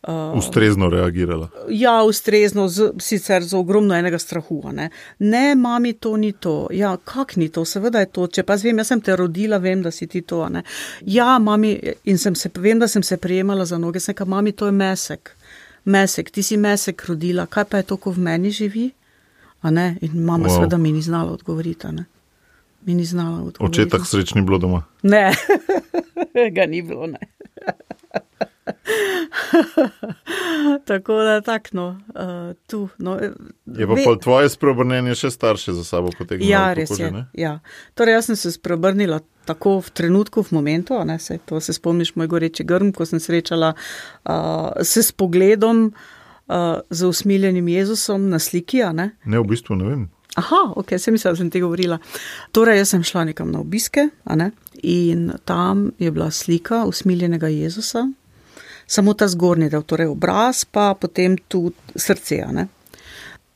Ustrezno reagirala.
Ja, ustrezno, sicer z ogromno enega strahu, ne. Ne, mami, to ni to. Ja, kak ni to? Seveda je to. Če pa vem, jaz sem te rodila, vem, da si ti to, ne. Ja, mami, in vem, da sem se prijemala za noge, sem rekla, mami, to je mesek. Mesek, ti si mesek rodila, kaj pa je to, ko v meni živi? A ne? In mama seveda mi ni znala odgovoriti, ne. Mi ni znala odgovoriti.
Očetak sreč ni bilo doma?
Ne, ga ni bilo, ne. Tako da tu. No,
je pa tvoje spreobrnenje še starše za sabo potegnilo?
Ja, res je. Ja. Torej, jaz sem se spreobrnila tako v trenutku, v momentu, ne, to se spomniš moj goreči grm, ko sem srečala se s pogledom z usmiljenim Jezusom na sliki, a ne?
Ne, v bistvu ne vem.
Aha, ok, se mislila, da sem ti govorila. Torej, jaz sem šla nekam na obiske, a ne? In tam je bila slika usmiljenega Jezusa, samo ta zgornji del, torej obraz, pa potem tudi srce, a ne?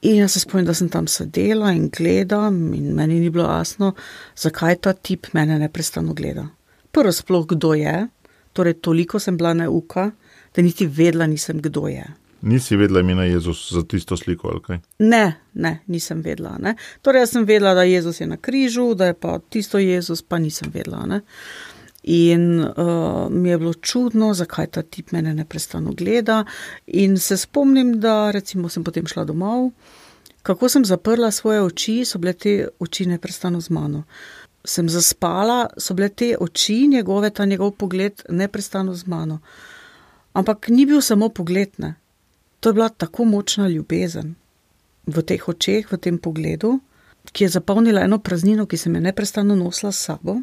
In jaz se spomnim, da sem tam sedela in gledam in meni ni bilo jasno, zakaj ta tip mene neprestano gleda. Prvo sploh, kdo je, torej toliko sem bila neuka, da niti vedela nisem, kdo je.
Nisi vedela imena Jezus za tisto sliko, ali kaj?
Ne, nisem vedela, ne. Torej, jaz sem vedela, da Jezus je na križu, da je pa tisto Jezus, pa nisem vedela, ne. In mi je bilo čudno, zakaj ta tip mene neprestano gleda in se spomnim, da recimo sem potem šla domov, kako sem zaprla svoje oči, so bile te oči neprestano z mano. Sem zaspala, so bile te oči njegove, ta njegov pogled neprestano z mano. Ampak ni bil samo pogled, ne. To je bila tako močna ljubezen v teh očeh, v tem pogledu, ki je zapolnila eno praznino, ki sem je neprestano nosila s sabo.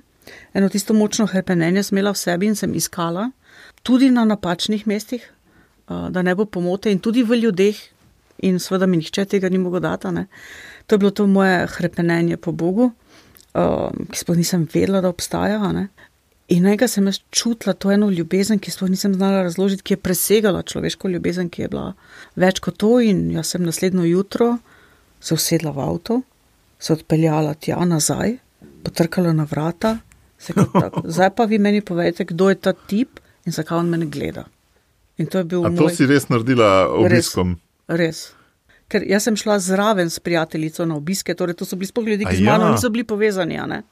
Eno tisto močno hrepenenje sem imela v sebi in sem iskala, tudi na napačnih mestih, da ne bo pomote in tudi v ljudeh in seveda mi nihče tega ni mogel dati, ne. To je bilo to moje hrepenenje po Bogu, ki sploh nisem vedela, da obstaja, ne. In nekaj sem jaz čutila to eno ljubezen, ki sploh nisem znala razložiti, ki je presegala človeško ljubezen, ki je bila več kot to in jaz sem naslednjo jutro se usedla v avto, se odpeljala tja nazaj, potrkala na vrata, zdaj pa vi meni povejte, kdo je ta tip in zakaj on mene gleda. In to je bil
to si res naredila obiskom?
Res. Ker jaz sem šla zraven s prijateljico na obiske, torej to so bili sploh ljudi, ki z mano niso bili povezani, a ne?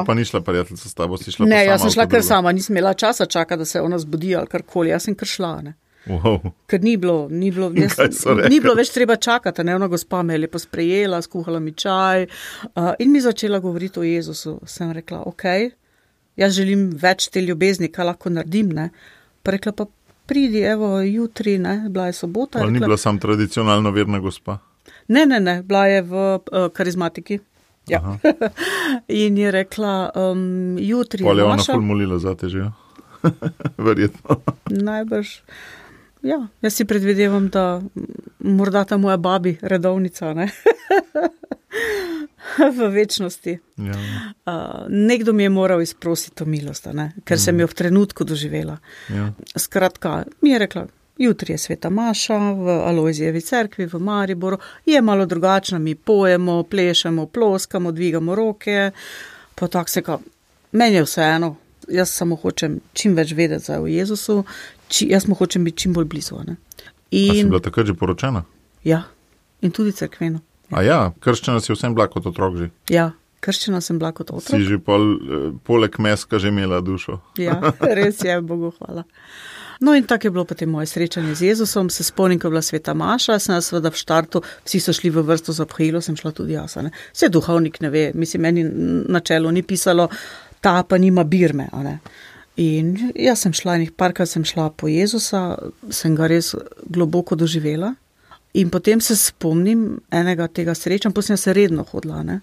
Pa ni šla prijateljica s tabo, si šla
ne,
pa sama?
Ne, jaz sem šla kar sama, nisem imela časa čakati, da se ona zbudi ali karkoli, jaz sem kar šla, ne.
Wow.
Ker ni bilo več treba čakati, ne, ona gospa me je lepo sprejela, skuhala mi čaj in mi začela govoriti o Jezusu. Sem rekla, ok, jaz želim več te ljubezni, kaj lahko naredim, ne. Pa rekla, pa pridi, evo, jutri, ne, bila je sobota.
Ali ni bila sam tradicionalno verna gospa?
Ne, bila je v karizmatiki. Ja. In je rekla, jutri je
maša. Pa je ona
maša.
ful molila za te že, verjetno.
Najbrž. Ja, jaz si predvidevam, da morda ta moja babi, redovnica, ne? V večnosti.
Ja.
Nekdo mi je moral izprositi to milost, ne? Ker sem jo v trenutku doživela.
Ja.
Skratka, mi je rekla, jutri je sveta maša v Alojzijevi cerkvi v Mariboru, je malo drugačna, mi pojemo, plešemo, ploskamo, dvigamo roke, pa tako se kao, meni je vseeno. Jaz samo hočem čim več vedeti o Jezusu, jaz mu hočem biti čim bolj blizu. Ne?
A si bila takrat že poročena?
Ja, in tudi cerkveno. Ja.
A ja, krščena si vsem bila kot otrok že?
Ja, krščena sem bila kot otrok.
Si že poleg meska že imela dušo?
Ja, res je, Bogu hvala. No in tako je bilo potem moje srečanje z Jezusom, se spomnim, ko je bila sveta maša, sem seveda v štartu, vsi so šli v vrsto za obhajilo, sem šla tudi jaz. Vse duhovnik ne ve, mislim, meni na čelu ni pisalo, ta pa nima birme, a ne. In jaz sem šla, parkrat sem šla po Jezusa, sem ga res globoko doživela in potem se spomnim enega tega srečanja, potem sem se redno hodila, ne.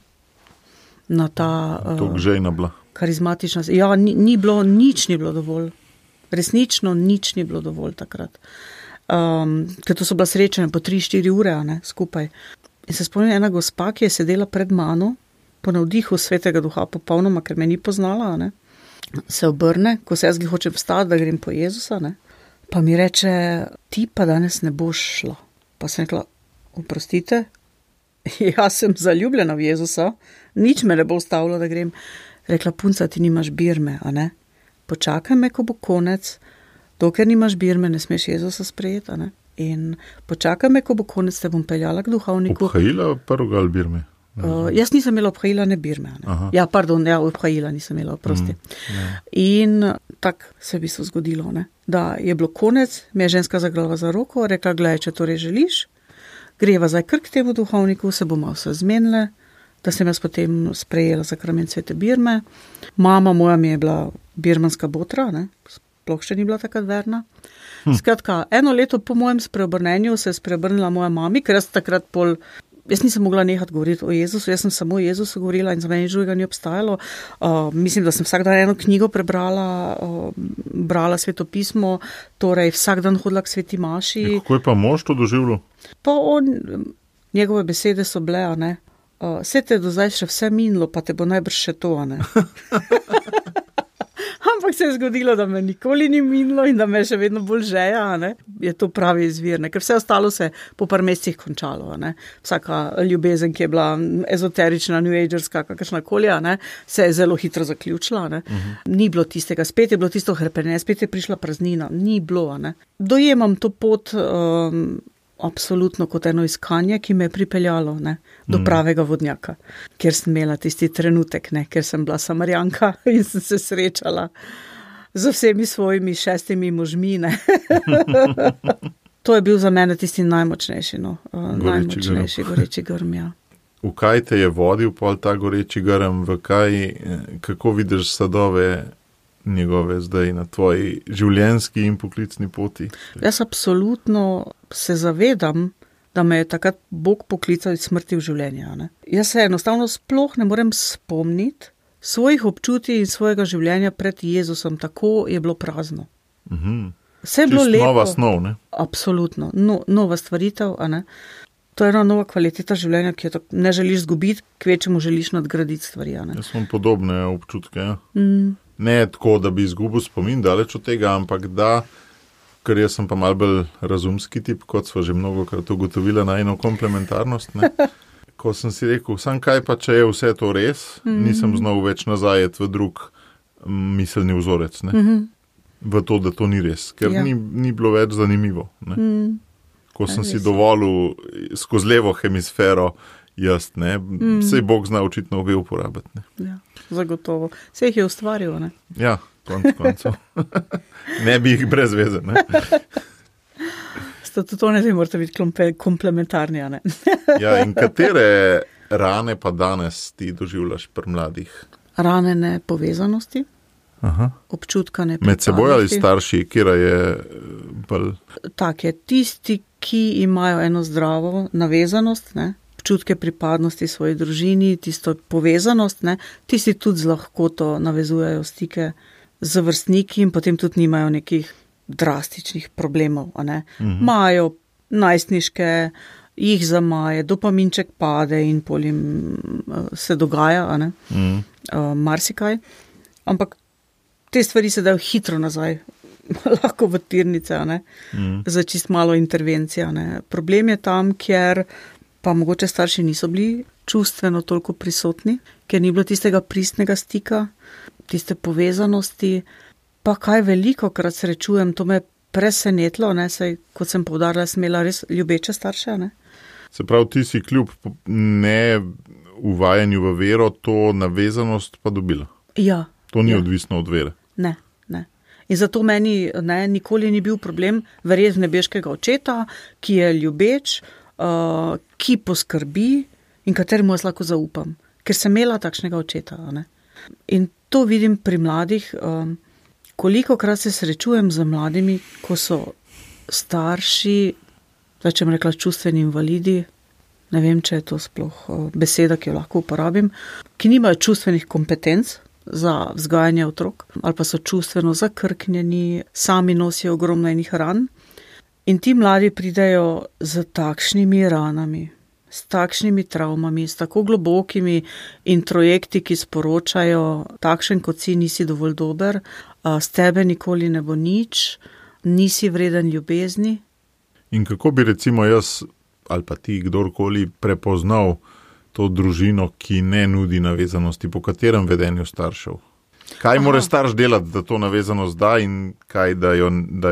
Na ta
žejna bila.
Karizmatična, ja, nič ni bilo dovolj. Resnično nič ni bilo dovolj takrat. Ker to so bila srečanja po 3-4 ure, ne, skupaj. In se spomnim ena gospa, ki je sedela pred mano, po navdihu Svetega Duha popolnoma, ker me ni poznala, ne, se obrne, ko se jaz hočem vstati, da grem po Jezusa, ne, pa mi reče, ti pa danes ne boš šla. Pa sem rekla, oprostite, jaz sem zaljubljena v Jezusa, nič me ne bo ustavilo, da grem. Rekla, punca, ti nimaš birme, a ne? Počakaj me, ko bo konec, dokler nimaš birme, ne smeš Jezusa sprejeti, a ne? In počakaj me, ko bo konec, te bom peljala k duhovniku.
Obhajila prvega ali birme?
Jaz nisem imela obhajila, ne birme. Ne? Ja, obhajila nisem imela, oprosti. In tako se bi se zgodilo, ne? Da je bilo konec, me je ženska zagrala za roko, rekla, gledaj, če torej želiš, greva zdaj kar k temu duhovniku, se bomo vse zmenile, da sem jaz potem sprejela sakrament svete birme. Mama moja mi je bila birmanska botra, ne? Sploh še ni bila takrat verna. Skratka, 1 leto po mojem spreobrnenju se je spreobrnila moja mami, ker jaz nisem mogla nehati govoriti o Jezusu, jaz sem samo o Jezusu govorila in za meni drugega ni obstajalo. Mislim, da sem vsak dan eno knjigo prebrala, brala svetopismo, torej vsak dan hodila k sveti maši.
Kako je pa mož to doživljal?
Pa njegove besede so bile, a ne, vse te do zdaj še vse minilo, pa te bo najbrž še to, a ne. Ampak se je zgodilo, da me nikoli ni minilo in da me še vedno bolj žeja, ne. Je to pravi izvir, ne, ker vse ostalo se po par mesecih končalo, ne. Vsaka ljubezen, ki je bila ezoterična, new agerska, kakršnakoli, ne, se je zelo hitro zaključila, ne. Ni bilo tistega, spet je bilo tisto hrepenje, spet je prišla praznina, ni bilo, ne. Dojemam to pot absolutno kot eno iskanje, ki me je pripeljalo, ne, do pravega vodnjaka, kjer sem imela tisti trenutek, ne, ker sem bila Samarijanka in sem se srečala z vsemi svojimi 6 možmi, ne. To je bil za mene tisti najmočnejši, najmočnejši goreči grm, ja.
V kaj te je vodil pol ta goreči grm, kako vidiš sadove njegove zdaj na tvoji življenjski in poklicni poti?
Jaz absolutno se zavedam, da me je takrat Bog poklical iz smrti v življenje. Ne? Jaz se enostavno sploh ne morem spomniti svojih občutij in svojega življenja pred Jezusom, tako je bilo prazno. Vse je bilo lepo.
Nova snov, ne?
Absolutno, nova stvaritev, a ne? To je ena nova kvaliteta življenja, ki jo ne želiš zgubiti, kvečemu želiš nadgraditi stvari, a ne?
Jaz imam podobne občutke, ja. Ne tako, da bi izgubil spomin daleč od tega, ampak da, ker jaz sem pa malo bolj razumski tip, kot sva že mnogokrat ugotovila najino komplementarnost, ne. Ko sem si rekel, sam kaj pa, če je vse to res, nisem znal več nazajeti v drug miselni vzorec, ne. V to, da to ni res, ker ni bilo več zanimivo, ne. Ko sem si dovolil skozi levo hemisfero jaz, ne, sej Bog zna očitno obe uporabiti, ne.
Ja, zagotovo. Sej jih je ustvaril, ne.
Ja, koncev. Ne bi jih brez veze, ne.
Tudi ne morate biti komplementarni, ne.
Ja, in katere rane pa danes ti doživljaš pri mladih?
Rane nepovezanosti, občutka nepripadnosti.
Med seboj ali starši, kjera je bolj?
Tak je, tisti, ki imajo eno zdravo navezanost, ne, občutke pripadnosti svoji družini, tisto povezanost, ne, tisti tudi z lahkoto navezujejo stike z vrstniki in potem tudi nimajo nekih drastičnih problemov. Imajo najstniške, jih zamaje, dopaminček pade in potem se dogaja, marsikaj. Ampak te stvari se dajo hitro nazaj, lahko v tirnice, za čist malo intervencija. Problem je tam, kjer pa mogoče starši niso bili čustveno toliko prisotni, ker ni bilo tistega pristnega stika, tiste povezanosti, pa kaj veliko krat srečujem, to me presenetilo, saj, kot sem poudarila, sem imela res ljubeče starše.
Se pravi, ti si kljub ne uvajanju v vero to navezanost pa dobila?
Ja.
To ni odvisno od vere?
Ne. In zato meni nikoli ni bil problem verjeti nebeškega očeta, ki je ljubeč, ki poskrbi in kateremu jaz lahko zaupam, ker sem imela takšnega očeta. In to vidim pri mladih, kolikokrat se srečujem z mladimi, ko so starši, zdaj če bom rekla čustveni invalidi, ne vem, če je to sploh beseda, ki jo lahko uporabim, ki nimajo čustvenih kompetenc za vzgajanje otrok, ali pa so čustveno zakrknjeni, sami nosijo ogromno enih ran. In ti mladi pridejo z takšnimi ranami, s takšnimi travmami, s tako globokimi introjekti, ki sporočajo, takšen kot si, nisi dovolj dober, s tebe nikoli ne bo nič, nisi vreden ljubezni.
In kako bi recimo jaz, ali pa ti, kdorkoli, prepoznal to družino, ki ne nudi navezanosti, po katerem vedenju staršev? Kaj mora starš delati, da to navezanost da in kaj, da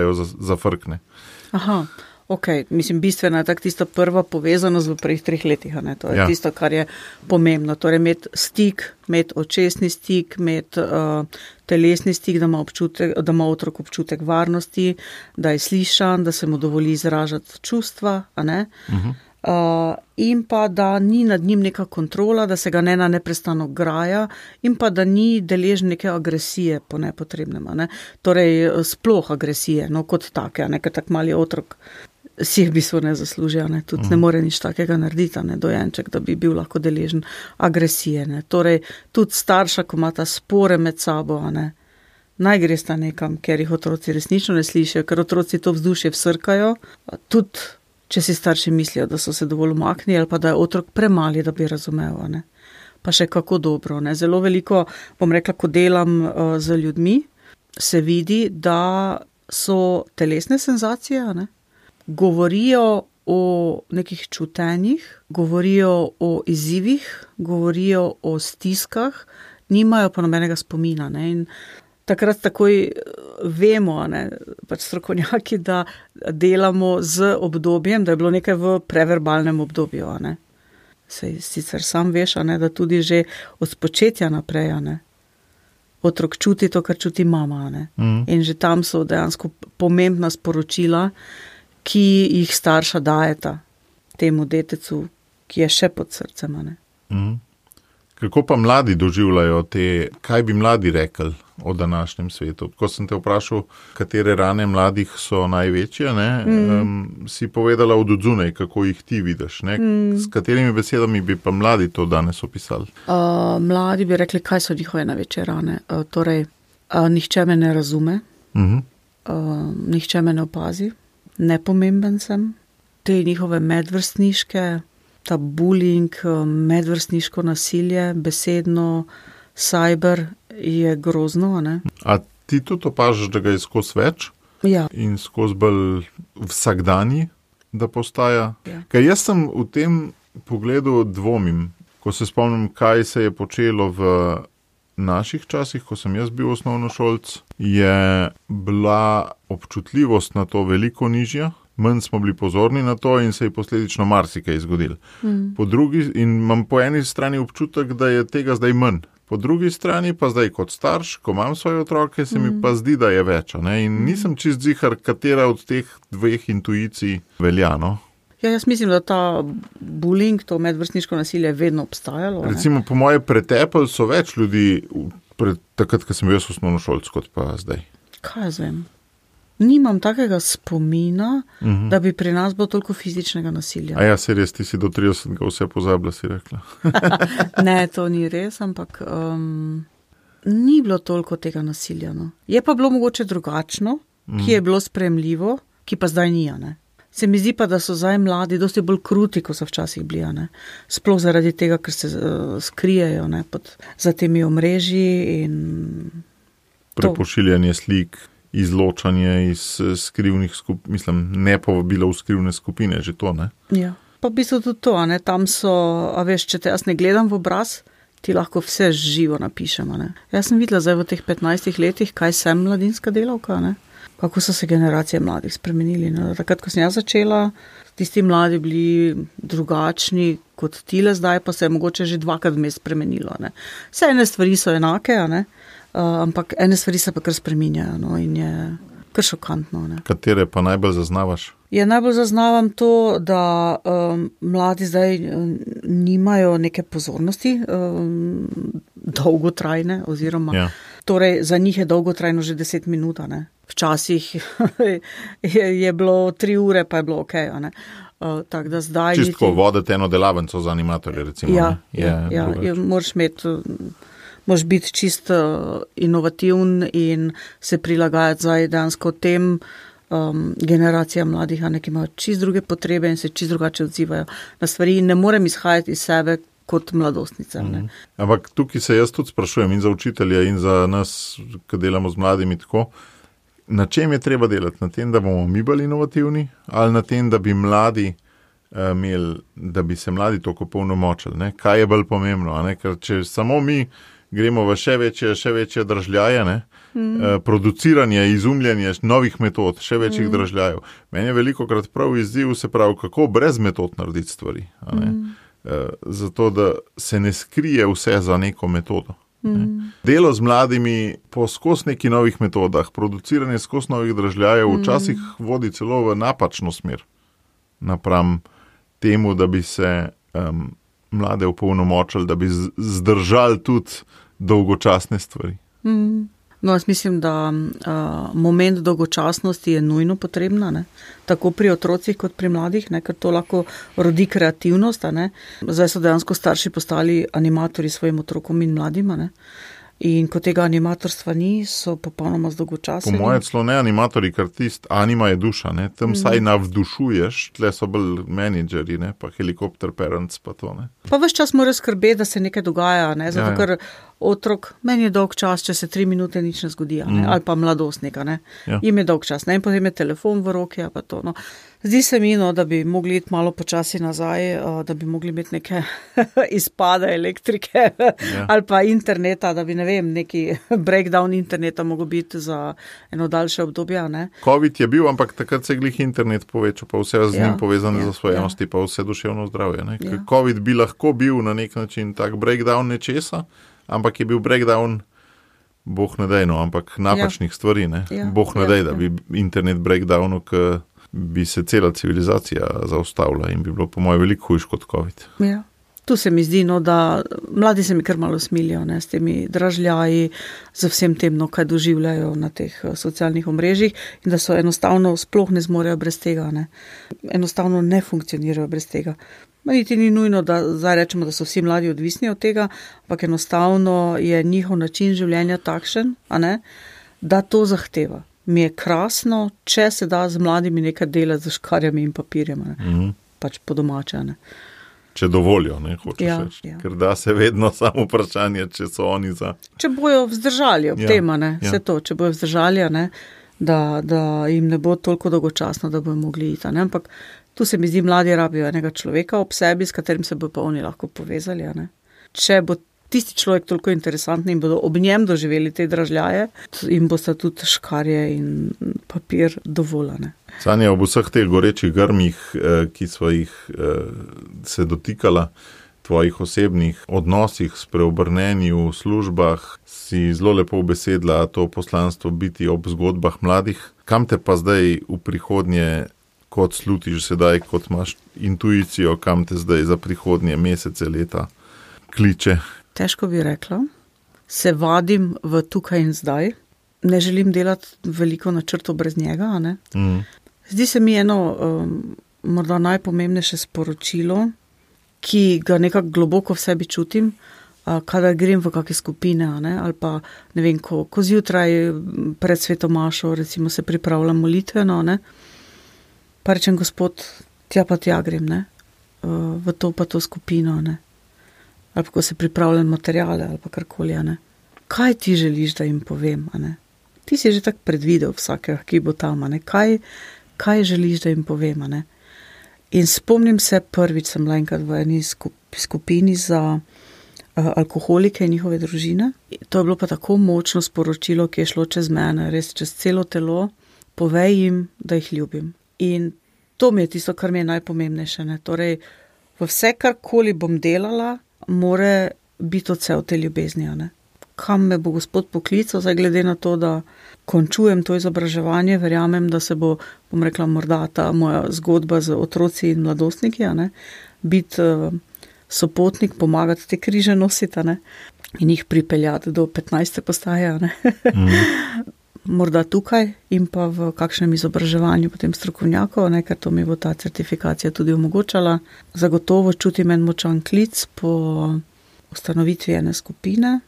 jo zafrkne?
Mislim, bistvena je tako tista prva povezanost v prvih 3 letih, to je tisto, kar je pomembno, torej imeti stik, imeti očesni stik, imeti telesni stik, da ima otrok občutek varnosti, da je slišan, da se mu dovoli izražati čustva, in pa da ni nad njim neka kontrola, da se ga ne neprestano graja in pa da ni deležen neke agresije po nepotrebnem, torej sploh agresije, kot take, ker tak mali otrok si je v bistvu ne zasluži, tudi ne more nič takega narediti, dojenček, da bi bil lahko deležen agresije, torej tudi starša, ko ima ta spore med sabo, naj gresta nekam, ker jih otroci resnično ne slišijo, ker otroci to vzdušje vsrkajo, tudi če si starši mislijo, da so se dovolj umaknili ali pa da je otrok premali, da bi razumel, pa še kako dobro, Zelo veliko, bom rekla, ko delam z ljudmi, se vidi, da so telesne senzacije, govorijo o nekih čutenjih, govorijo o izzivih, govorijo o stiskah, nimajo pa nobenega spomina, in takrat takoj vemo, pač strokovnjaki, da delamo z obdobjem, da je bilo nekaj v preverbalnem obdobju, Sej sicer sam veš, da tudi že od spočetja naprej, otrok čuti to, kar čuti mama, In že tam so dejansko pomembna sporočila, ki jih starša dajeta temu detecu, ki je še pod srcem,
Kako pa mladi doživljajo kaj bi mladi rekli o današnjem svetu? Ko sem te vprašal, katere rane mladih so največje, si povedala od odzunaj, kako jih ti vidiš, S katerimi besedami bi pa mladi to danes opisali?
Mladi bi rekli, kaj so njihove največje rane. Torej, nihče me ne razume, nihče me ne opazi, nepomemben sem, te njihove medvrstniške, ta bullying, medvrstniško nasilje, besedno, cyber je grozno,
A ti tudi opažaš, da ga je skozi več?
Ja.
In skozi bolj vsakdanji, da postaja? Ja. Ker jaz sem v tem pogledu dvomim, ko se spomnim, kaj se je počelo v naših časih, ko sem jaz bil osnovnošolc, je bila občutljivost na to veliko nižja. Manj smo bili pozorni na to in se je posledično marsikaj zgodilo. In imam po eni strani občutek, da je tega zdaj manj. Po drugi strani pa zdaj kot starš, ko imam svoje otroke, se mi pa zdi, da je več. In nisem čist zihar, katera od teh dveh intuicij velja.
Ja, jaz mislim, da ta bullying, to medvrstniško nasilje je vedno obstajalo.
Recimo, po moje pretepli so več ljudi takrat, ko sem bil jaz osnovnošolec, kot pa zdaj.
Kaj jaz vem? Nimam takega spomina, da bi pri nas bilo toliko fizičnega nasilja.
A ja, se res, ti si do 30 vse pozabila, si rekla.
Ne, to ni res, ampak ni bilo toliko tega nasilja. No. Je pa bilo mogoče drugačno, ki je bilo sprejemljivo, ki pa zdaj ni, ne. Se mi zdi pa, da so zdaj mladi dosti bolj kruti, kot so včasih bili, ne. Sploh zaradi tega, ker se skrijejo, ne, za temi omrežji in
prepošiljanje slik, izločanje iz skrivnih skupin, mislim, ne povabilo v skrivne skupine, že to, ne?
Ja, pa v bistvu tudi to, ne, tam so, a veš, če te jaz ne gledam v obraz, ti lahko vse živo napišemo, ne. Jaz sem videla zdaj v teh 15 letih, kaj sem mladinska delavka, ne, kako so se generacije mladih spremenili, ne. Takrat, ko sem jaz začela, tisti mladi bili drugačni kot tile, zdaj pa se je mogoče že dvakrat vmes spremenilo, ne. Vse ene stvari so enake, ne. Ampak ene stvari se pa kar spreminjajo, no, in je kar šokantno, ne.
Katere pa najbolj zaznavaš?
Najbolj zaznavam to, da mladi zdaj nimajo neke pozornosti dolgotrajne, oziroma torej za njih je dolgotrajno že 10 minut, ne. Včasih je bilo 3 ure, pa je bilo okej, ne. Tak, da zdaj
čistko voditi eno delavnico za animatorje, recimo.
Ja, moraš biti čist inovativen in se prilagajati zdaj dejansko tem generacijam mladih, ki imajo čist druge potrebe in se čist drugače odzivajo na stvari in ne morem izhajati iz sebe kot mladostnica.
Ampak tukaj se jaz tudi sprašujem in za učitelja in za nas, ki delamo z mladimi tako, na čem je treba delati? Na tem, da bomo mi bolj inovativni ali na tem, da bi mladi imeli, da bi se mladi toliko polnomočili, ne? Kaj je bolj pomembno, ne? Ker če samo mi gremo v še večje držljaje, ne? Produciranje, izumljanje novih metod, še večjih držljajev. Meni je velikokrat prav izziv, se pravi, kako brez metod narediti stvari. Zato, da se ne skrije vse za neko metodo. Delo z mladimi po skozi nekih novih metodah, produciranje skozi novih držljajev včasih vodi celo v napačno smer. Napram temu, da bi se mlade opolnomočili, da bi zdržali tudi dolgočasne stvari.
No, jaz mislim, da moment dolgočasnosti je nujno potrebna, ne? Tako pri otrocih kot pri mladih, ne? Ker to lahko rodi kreativnost. Ne? Zdaj so dejansko starši postali animatorji svojim otrokom in mladima. Ne? In ko tega animatorstva ni, so popolnoma zdolgočaseni.
Po moje celo ne animatorji, ker anima je duša, ne? Tam saj navdušuješ, tle so bolj menedžeri, ne? Pa helikopter parents, pa to, ne.
Pa ves čas mora skrbeti, da se nekaj dogaja, ne? Zato ker otrok, meni je dolg čas, če se 3 minute nič ne zgodi, ne? Ali pa mladostnika, ne. Jim je dolg čas, ne? In potem je telefon v roki, pa to, no. Zdi se mi, no, da bi mogli iti malo počasi nazaj, da bi mogli imeti neke izpade elektrike ali pa interneta, da bi, ne vem, neki breakdown interneta mogel biti za eno daljše obdobje, ne.
COVID je bil, ampak takrat se je glih internet povečal, pa vse z njim povezane zasvojenosti, pa vse duševno zdravje, ne. COVID bi lahko bil na nek način tak breakdown nečesa, ampak je bil breakdown, boh ne dej, no, ampak napačnih stvari, ne. Boh ne dej, da bi internet breakdownu, bi se cela civilizacija zaustavila in bi bilo po moje veliko hujš kot COVID.
Ja. Tu se mi zdi, no, da mladi se mi kar malo smilijo, ne, s temi dražljaji, z vsem tem, no, kaj doživljajo na teh socialnih omrežjih in da so enostavno sploh ne zmorejo brez tega, ne. Enostavno ne funkcionirajo brez tega. Niti ni nujno, da zdaj rečemo, da so vsi mladi odvisni od tega, ampak enostavno je njihov način življenja takšen, a ne, da to zahteva. Mi je krasno, če se da z mladimi nekaj delati z škarjami in papirjem, ne. Pač po domače, ne.
Če dovolijo, ne, hočeš reči. Ker da se vedno samo vprašanje, če so oni za.
Če bojo vzdržali ob tema, ne, vse to, če bojo vzdržali, ne, da jim ne bo toliko dolgočasno, da bojo mogli iti, ne, ampak tu se mi zdi, mladi rabijo enega človeka ob sebi, s katerim se bo pa oni lahko povezali, ne. Če bo tisti človek toliko interesantni in bodo ob njem doživeli te dražljaje, in bosta tudi škarje in papir dovoljene.
Sanja, ob vseh teh gorečih grmih, ki sva jih se dotikala, tvojih osebnih odnosih, spreobrnenju, službah, si zelo lepo ubesedila to poslanstvo biti ob zgodbah mladih. Kam te pa zdaj v prihodnje, kot slutiš sedaj, kot imaš intuicijo, kam te zdaj za prihodnje mesece, leta kliče?
Težko bi rekla. se vadim v tukaj in zdaj. Ne želim delati veliko načrtov brez njega. Ne? Zdi se mi eno morda najpomembnejše sporočilo, ki ga nekako globoko v sebi čutim, kadar grem v kakšne skupine, ali pa ne vem, ko zjutraj pred svetomašo recimo se pripravljam molitveno, pa rečem, Gospod, tja grem, ne? V to pa to skupino, ne? Ali pa ko se pripravljam materijale ali pa karkoli, ne? Kaj ti želiš, da jim povem, ne? Ti si že tako predvidel vsakega, ki bo tam, ne? Kaj želiš, da jim povem, ne? In spomnim se, prvič sem bila enkrat v eni skupini za alkoholike in njihove družine. To je bilo pa tako močno sporočilo, ki je šlo čez mene, res čez celo telo. Povej jim, da jih ljubim. In to mi je tisto, kar mi je najpomembnejše. Ne? Torej, v vse, karkoli bom delala, more biti odsev te ljubezni. Ne? Kam me bo Gospod poklical, zdaj glede na to, da končujem to izobraževanje, verjamem, da se bo, bom rekla, morda ta moja zgodba z otroci in mladostniki, biti sopotnik, pomagati te križe nositi, in jih pripeljati do 15. postaje, morda tukaj in pa v kakšnem izobraževanju potem strokovnjakov, ker to mi bo ta certifikacija tudi omogočala. Zagotovo čutim en močan klic po ustanovitvi ene skupine,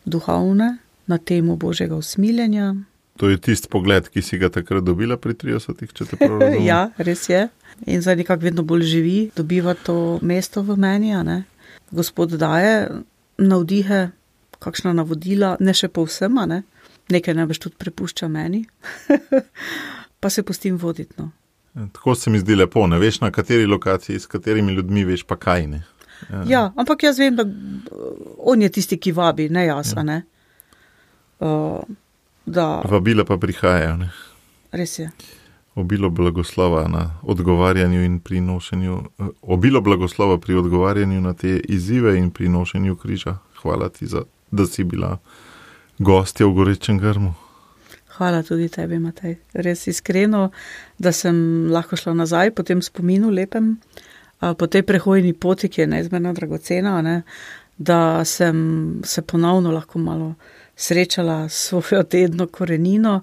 duhovne, na temo Božjega usmiljenja.
To je tisti pogled, ki si ga takrat dobila pri 30, če te prav razumem.
Ja, res je. In zdaj nekako vedno bolj živi, dobiva to mesto v meni, Gospod daje navdihe, kakšna navodila, ne še povsem, nekaj najbrž tudi prepušča meni, pa se pustim voditi.
Tako se mi zdi lepo, ne veš, na kateri lokaciji, s katerimi ljudmi veš pa kaj, ne.
Ja, ampak jaz vem, da on je tisti, ki vabi, ne jaz, ne.
Vabila pa prihajajo, ne.
Res je.
Obilo blagoslova na odgovarjanju in pri nošenju, obilo blagoslova pri odgovarjanju na te izzive in pri nošenju križa. Hvala ti, da si bila gostja v Gorečem grmu.
Hvala tudi tebi, Matej. Res iskreno, da sem lahko šla nazaj po tem spominu lepem, po tej prehojni poti, ki je neizmerno dragocena, da sem se ponovno lahko malo srečala s svojo dedno korenino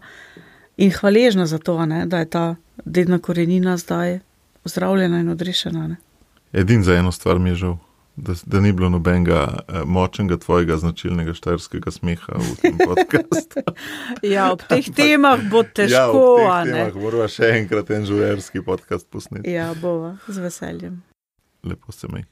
in hvaležna za to, da je ta dedna korenina zdaj ozdravljena in odrešena.
Edin za eno stvar mi je žal, da ni bilo nobenega močnega tvojega značilnega štajerskega smeha v tem podcastu.
Ja, ob teh temah bo težko.
Ja, ob teh temah morava še enkrat en žurerski podcast posneti.
Ja, bova, z veseljem.
Lepo se mej.